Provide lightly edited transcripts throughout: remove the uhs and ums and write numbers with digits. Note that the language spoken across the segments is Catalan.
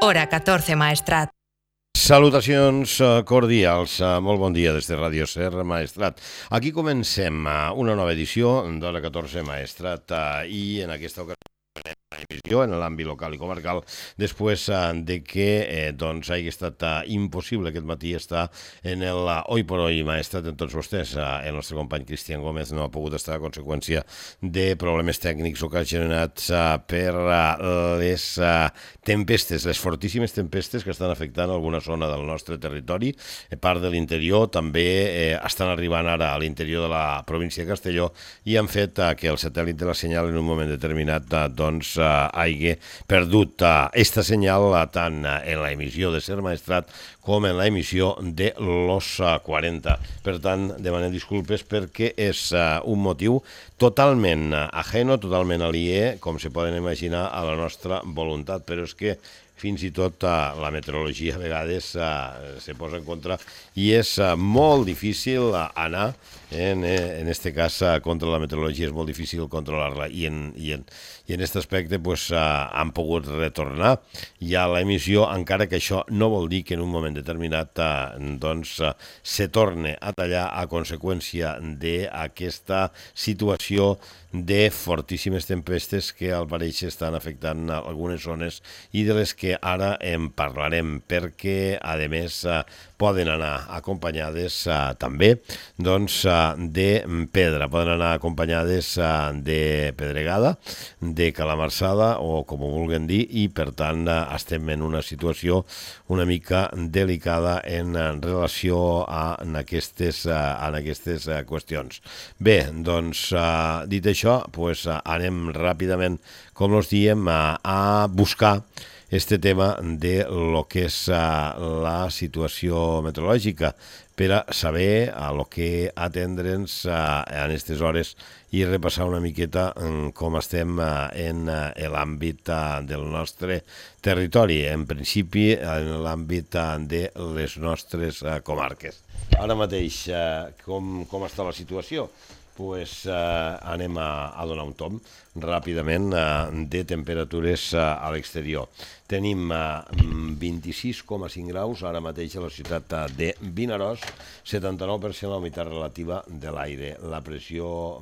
Hora 14 Maestrat. Salutacions cordials, molt bon dia des de Ràdio Ser Maestrat. Aquí comencem una nova edició d'Hora 14 Maestrat i en aquesta ocasió emissió en l'àmbit local i comarcal després de que hagi estat impossible aquest matí estar en el Hoy por Hoy Maestrat en tots vostès. El nostre company Cristian Gómez no ha pogut estar a conseqüència de problemes tècnics ocasionats per les tempestes, les fortíssimes tempestes que estan afectant alguna zona del nostre territori. Part de l'interior també estan arribant ara a l'interior de la província de Castelló i han fet que el satèl·lit de la senyal en un moment determinat hagi perdut esta senyal tant en la emissió de Ser Maestrat com en la emissió de Los 40. Per tant, demanem disculpes perquè és un motiu totalment ajeno, totalment aliè, com se poden imaginar, a la nostra voluntat, però és que fins i tot la meteorologia a vegades se posa en contra i és molt difícil anar, en este cas contra la meteorologia és molt difícil controlar-la i en aquest aspecte han pogut retornar ja a l'emissió, encara que això no vol dir que en un moment determinat se torne a tallar a conseqüència d'aquesta situació de fortíssimes tempestes que al pareix estan afectant algunes zones i de les que ara en parlarem, perquè a més poden anar acompanyades també de pedra, poden anar acompanyades de pedregada, de calamarsada o com ho vulguin dir, i per tant estem en una situació una mica delicada en relació a aquestes qüestions. Bé, doncs dit això, anem ràpidament, com us diem, a buscar este tema de lo que és la situació meteorològica per a saber a lo que atendre'ns en aquestes hores i repassar una miqueta com estem en l'àmbit del nostre territori, en principi en l'àmbit de les nostres comarques. Ara mateix, com està la situació? Anem a donar un tomb ràpidament de temperatures a l'exterior. Tenim 26,5 graus ara mateix a la ciutat de Vinaròs, 79% la humitat relativa de l'aire. La pressió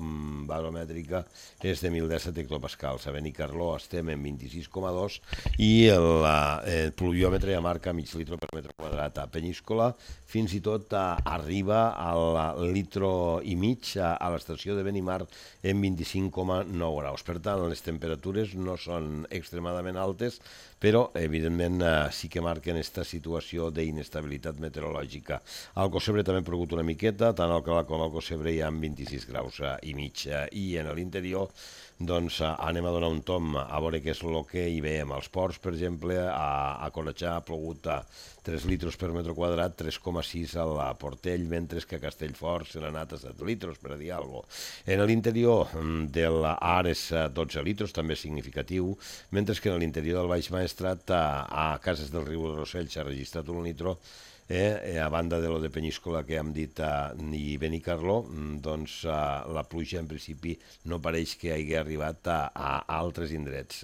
baromètrica és de 1.017 hectopascals. A Benicarló estem en 26,2 i el pluviòmetre ja marca mig litre per metre quadrat. A Penyíscola fins i tot arriba al litro i mig a l'estació de Benimar en 25,9 graus. Per tant, les temperatures no són extremadament altes, però, evidentment, sí que marquen aquesta situació d'inestabilitat meteorològica. Al Cocebre també ha plogut una miqueta, tant al Calat com al Cocebre hi ha 26 graus i mig. I en l'interior, doncs, anem a donar un tomb a veure què és el que hi veiem. Als ports, per exemple, a Conatxà ha plogut 3 litres per metre quadrat, 3,6 a Portell, mentre que a Castellfort se n'ha anat a 7 litres, per dir alguna cosa. En l'interior de l'Ares, 12 litres, també significatiu, mentre que en l'interior del Baix Maestrat, a Cases del Riu de Rossell s'ha registrat un litro, a banda de lo de Penyíscola que hem dit i Benicarló, doncs la pluja en principi no pareix que hagi arribat a altres indrets.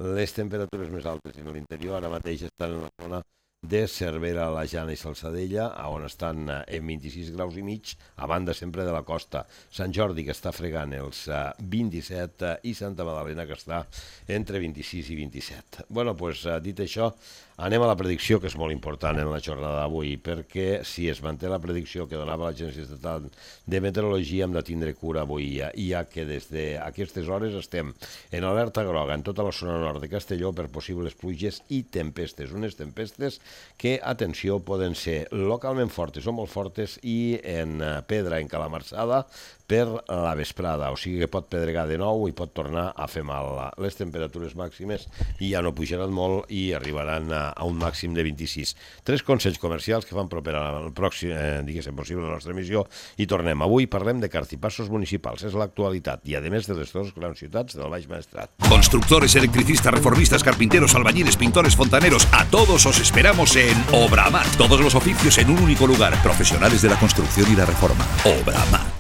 Les temperatures més altes en l'interior ara mateix estan en la zona de Cervera, la Jana i Salsadella, on estan en 26 graus i mig, a banda sempre de la costa. Sant Jordi, que està fregant els 27, i Santa Madalena, que està entre 26 i 27. Bueno, doncs, dit això, anem a la predicció, que és molt important en la jornada d'avui, perquè si es manté la predicció que donava l'Agència Estatal de Meteorologia, hem de tindre cura avui, ja que des d'aquestes hores estem en alerta groga en tota la zona nord de Castelló per possibles pluges i tempestes. Unes tempestes que, atenció, poden ser localment fortes o molt fortes i en pedra, en calamarsada, per la vesprada, o sigui que pot pedregar de nou i pot tornar a fer mal. Les temperatures màximes ja no pujaran molt i arribaran a un màxim de 26. 3 consells comercials que fan propera al pròxim, diguéssim, possible la nostra emissió, i tornem. Avui parlem de cartipassos municipals, és l'actualitat, i a més de les dues grans ciutats del Baix Maestrat. Constructores, electricistas, reformistas, carpinteros, albañiles, pintores, fontaneros, a todos os esperamos en Obramat. Todos los oficios en un único lugar. Profesionales de la construcción y la reforma. Obramat.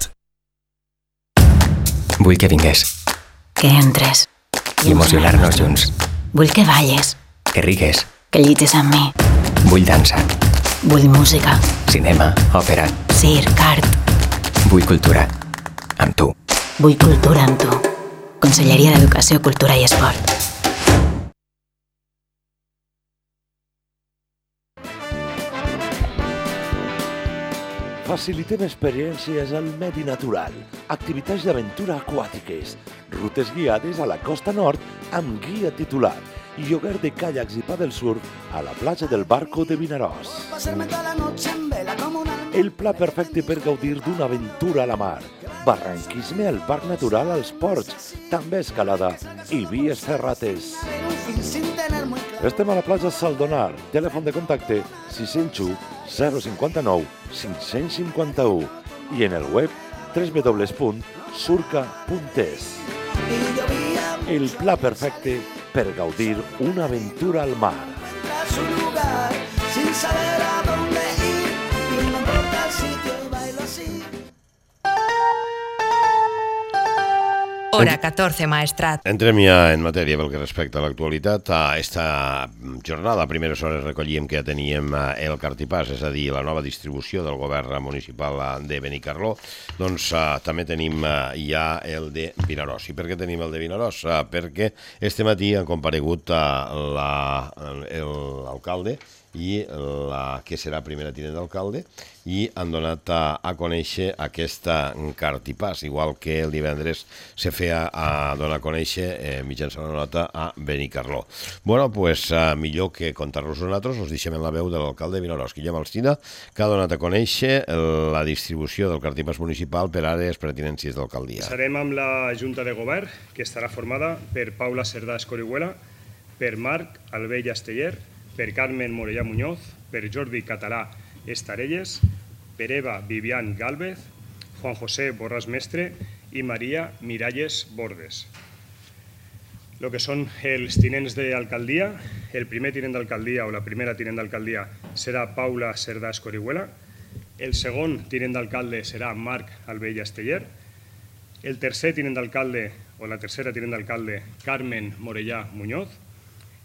Vull que vingués. Que entres. I emocionar-nos junts. Vull que balles. Que rigues. que llitges amb mi. Vull dansa. Vull música. Cinema, òpera. Circ, art. Vull cultura. Amb tu. Vull cultura amb tu. Conselleria d'Educació, Cultura i Esport. Facilitem experiències al medi natural, activitats d'aventura aquàtiques, rutes guiades a la costa nord amb guia titular i lloguer de caiacs i paddle surf a la platja del Barco de Vinaròs. El pla perfecte per gaudir d'una aventura a la mar, barranquisme al Parc Natural als Ports, també escalada i vies ferrates. Estem a la platja Saldonar, telèfon de contacte 601 059 551 i en el web www.surca.es. El pla perfecte per gaudir una aventura al mar. Hora 14, Maestrat. Entrem ja en matèria pel que respecta a l'actualitat. A esta jornada, a primeres hores, recollíem que ja teníem el Cartipàs, és a dir, la nova distribució del govern municipal de Benicarló. Doncs també tenim ja el de Vinaròs. I per què tenim el de Vinaròs? Perquè este matí han comparegut l'alcalde i la que serà primera tinent d'alcalde i han donat a conèixer aquesta Cartipàs, igual que el divendres se feia a donar a conèixer mitjançant una nota a Benicarló. Bueno, pues millor que contar-nos nosaltres, us deixem en la veu de l'alcalde de Vinaròs, Guillem Alsina, que ha donat a conèixer la distribució del Cartipàs municipal per àrees pertinències d'alcaldia. Serem amb la Junta de Govern, que estarà formada per Paula Cerdà Escorihuela, per Marc Albell Asteller, per Carmen Morellà Muñoz, per Jordi Català Estarelles, per Eva Vivian Gálvez, Juan José Borràs Mestre i Maria Miralles Bordes. Lo que són els tinents d'alcaldia, el primer tinent d'alcaldia o la primera tinent d'alcaldia serà Paula Cerdà Escorihuela, el segon tinent d'alcalde serà Marc Albell Asteller, el tercer tinent d'alcalde o la tercera tinent d'alcalde Carmen Morellà Muñoz,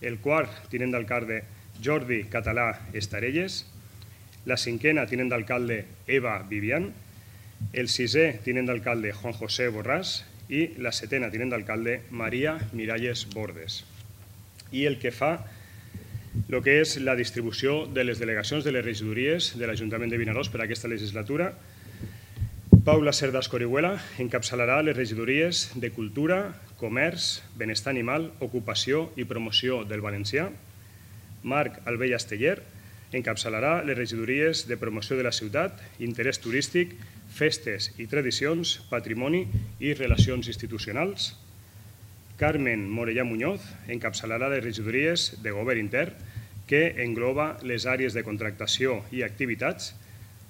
el quart tinent d'alcalde Jordi Català Estarelles, la cinquena tinent d'alcalde Eva Vivian, el sisè tinent d'alcalde Juan José Borràs i la setena tinent d'alcalde Maria Miralles Bordes. I el que fa el que és la distribució de les delegacions de les regidories de l'Ajuntament de Vinaròs per a aquesta legislatura, Paula Cerdà Escorihuela encapçalarà les regidories de Cultura, Comerç, Benestar Animal, Ocupació i Promoció del Valencià. Marc Albell Asteller encapçalarà les regidories de Promoció de la Ciutat, Interès Turístic, Festes i Tradicions, Patrimoni i Relacions Institucionals. Carmen Morellà Muñoz encapçalarà les regidories de Govern Intern, que engloba les àrees de contractació i activitats,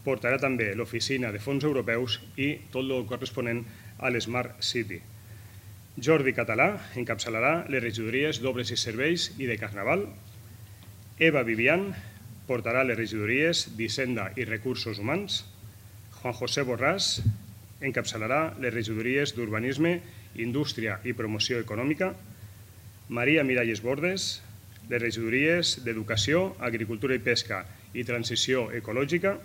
portarà també l'oficina de fons europeus i tot el corresponent a l'Smart City. Jordi Català encapçalarà les regidories d'Obres i Serveis i de Carnaval. Eva Vivian portarà les regidories d'Hisenda i Recursos Humans. Juan José Borràs encapçalarà les regidories d'Urbanisme, Indústria i Promoció Econòmica. Maria Miralles Bordes, les regidories d'Educació, Agricultura i Pesca i Transició Ecològica.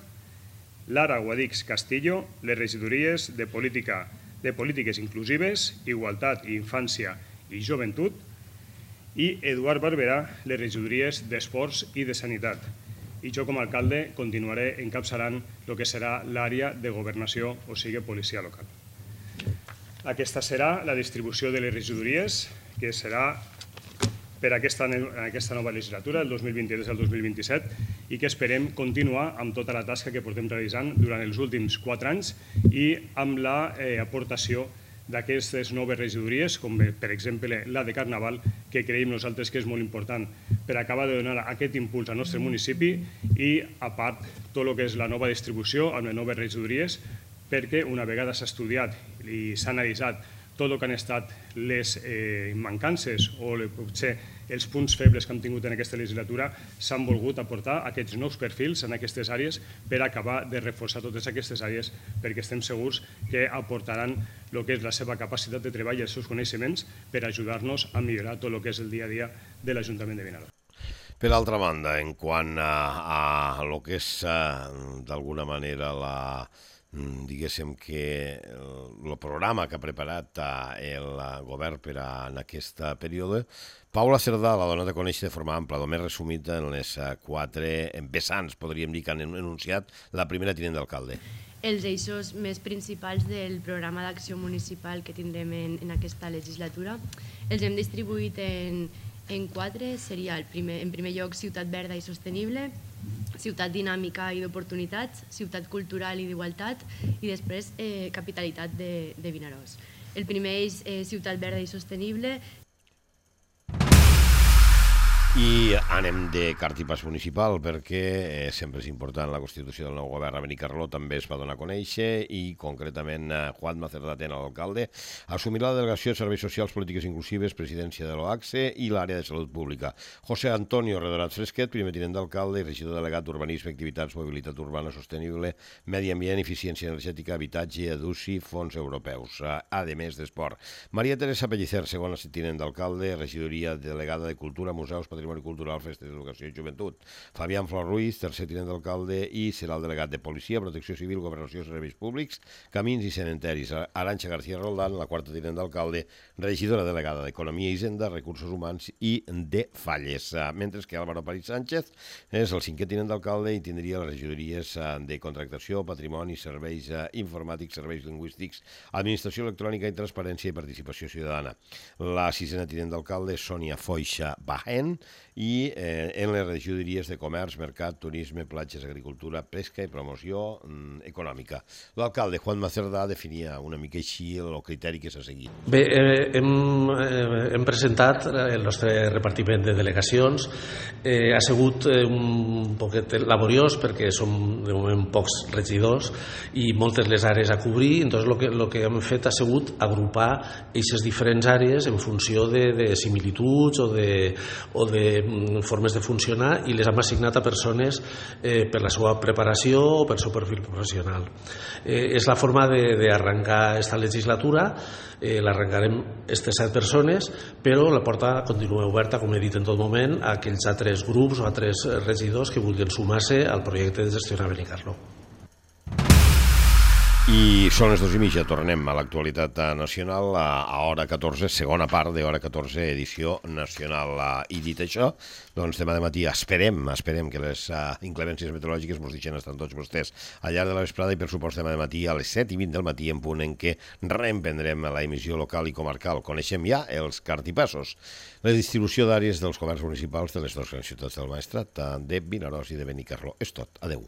Lara Guadix Castillo, les regidories de Polítiques Inclusives, Igualtat i Infància i Joventut. I Eduard Barberà, les regidories d'Esports i de Sanitat. I jo, com a alcalde, continuaré encapçalant el que serà l'àrea de governació, o sigui, policia local. Aquesta serà la distribució de les regidories, que serà per aquesta nova legislatura, del 2023 al 2027, i que esperem continuar amb tota la tasca que portem realitzant durant els últims 4 anys i amb l'aportació d'aquestes noves regidories, com per exemple la de Carnaval, que creiem nosaltres que és molt important per acabar de donar aquest impuls al nostre municipi i, a part, tot el que és la nova distribució amb les noves regidories, perquè una vegada s'ha estudiat i s'ha analitzat tot el que han estat les mancances o potser els punts febles que hem tingut en aquesta legislatura, s'han volgut aportar aquests nous perfils en aquestes àrees per acabar de reforçar totes aquestes àrees, perquè estem segurs que aportaran el que és la seva capacitat de treball i els seus coneixements per ajudar-nos a millorar tot el que és el dia a dia de l'Ajuntament de Vinaròs. Per altra banda, en quant a lo que és d'alguna manera diguéssim que el programa que ha preparat el govern per en aquest període, Paula Cerdà la dona de conèixer de forma ampla, només resumit en les 4 vessants, podríem dir, que han enunciat la primera tinent d'alcalde. Els eixos més principals del programa d'acció municipal que tindrem en aquesta legislatura els hem distribuït en 4. Seria en primer lloc ciutat verda i sostenible, ciutat dinàmica i d'oportunitats, ciutat cultural i d'igualtat i després capitalitat de Vinaròs. El primer és ciutat verda i sostenible. I anem de cartipàs municipal perquè sempre és important la constitució del nou govern. A Benicarló també es va donar a conèixer i concretament Juanma Cerdà, l'alcalde, assumirà la delegació de Serveis Socials, Polítiques Inclusives, presidència de l'OACSE i l'àrea de salut pública. José Antonio Redorat Fresquet, primer tinent d'alcalde i regidor delegat d'Urbanisme, Activitats, Mobilitat Urbana Sostenible, Medi Ambient, Eficiència Energètica, Habitatge, EDUCI, Fons Europeus, a més d'Esport. Maria Teresa Pellicer, segona tinent d'alcalde, regidoria delegada de Cultura, Museus, Patrimoni Cultural, Festes d'Educació i Joventut. Fabián Flor Ruiz, tercer tinent d'alcalde i serà el delegat de Policia, Protecció Civil, Governació, Serveis Públics, Camins i Cementeris. Arantxa García Roldán, la quarta tinent d'alcalde, regidora delegada d'Economia i Hisenda, Recursos Humans i de Falles. Mentre que Álvaro París Sánchez és el cinquè tinent d'alcalde i tindria les regidories de Contractació, Patrimoni, Serveis Informàtics, Serveis Lingüístics, Administració Electrònica i Transparència i Participació Ciutadana. La sisena tinent d'alcalde és Sònia Foixa Bajen i en les regidories de Comerç, Mercat, Turisme, Platges, Agricultura, Pesca i Promoció Econòmica. L'alcalde Juanma Cerdà definia una mica així el criteri que s'ha seguit. Bé, hem presentat el nostre repartiment de delegacions. Ha sigut un poquet laboriós perquè som de moment pocs regidors i moltes les àrees a cobrir, entonces el que hem fet ha sigut agrupar aquestes diferents àrees en funció de similituds o de formes de funcionar i les hem assignat a persones per la seva preparació o per el seu perfil professional. És la forma d'arrencar aquesta legislatura. L'arrencarem aquestes 7 persones, però la porta continua oberta, com he dit en tot moment, a aquells altres grups o altres regidors que vulguin sumar-se al projecte de gestionar Benicarló. I són les 2:30, tornem a l'actualitat nacional a hora 14, segona part de hora 14, edició nacional. I dit això, doncs demà de matí esperem que les inclemències meteorològiques ens deixen estar tots vostès al llarg de la vesprada i per supost demà de matí a les 7:20 del matí en punt en què reemprendrem la emissió local i comarcal. Coneixem ja els cartipassos. La distribució d'àrees dels governs municipals de les dues grans ciutats del Maestrat, de Vinaròs i de Benicarló. És tot. Adeu.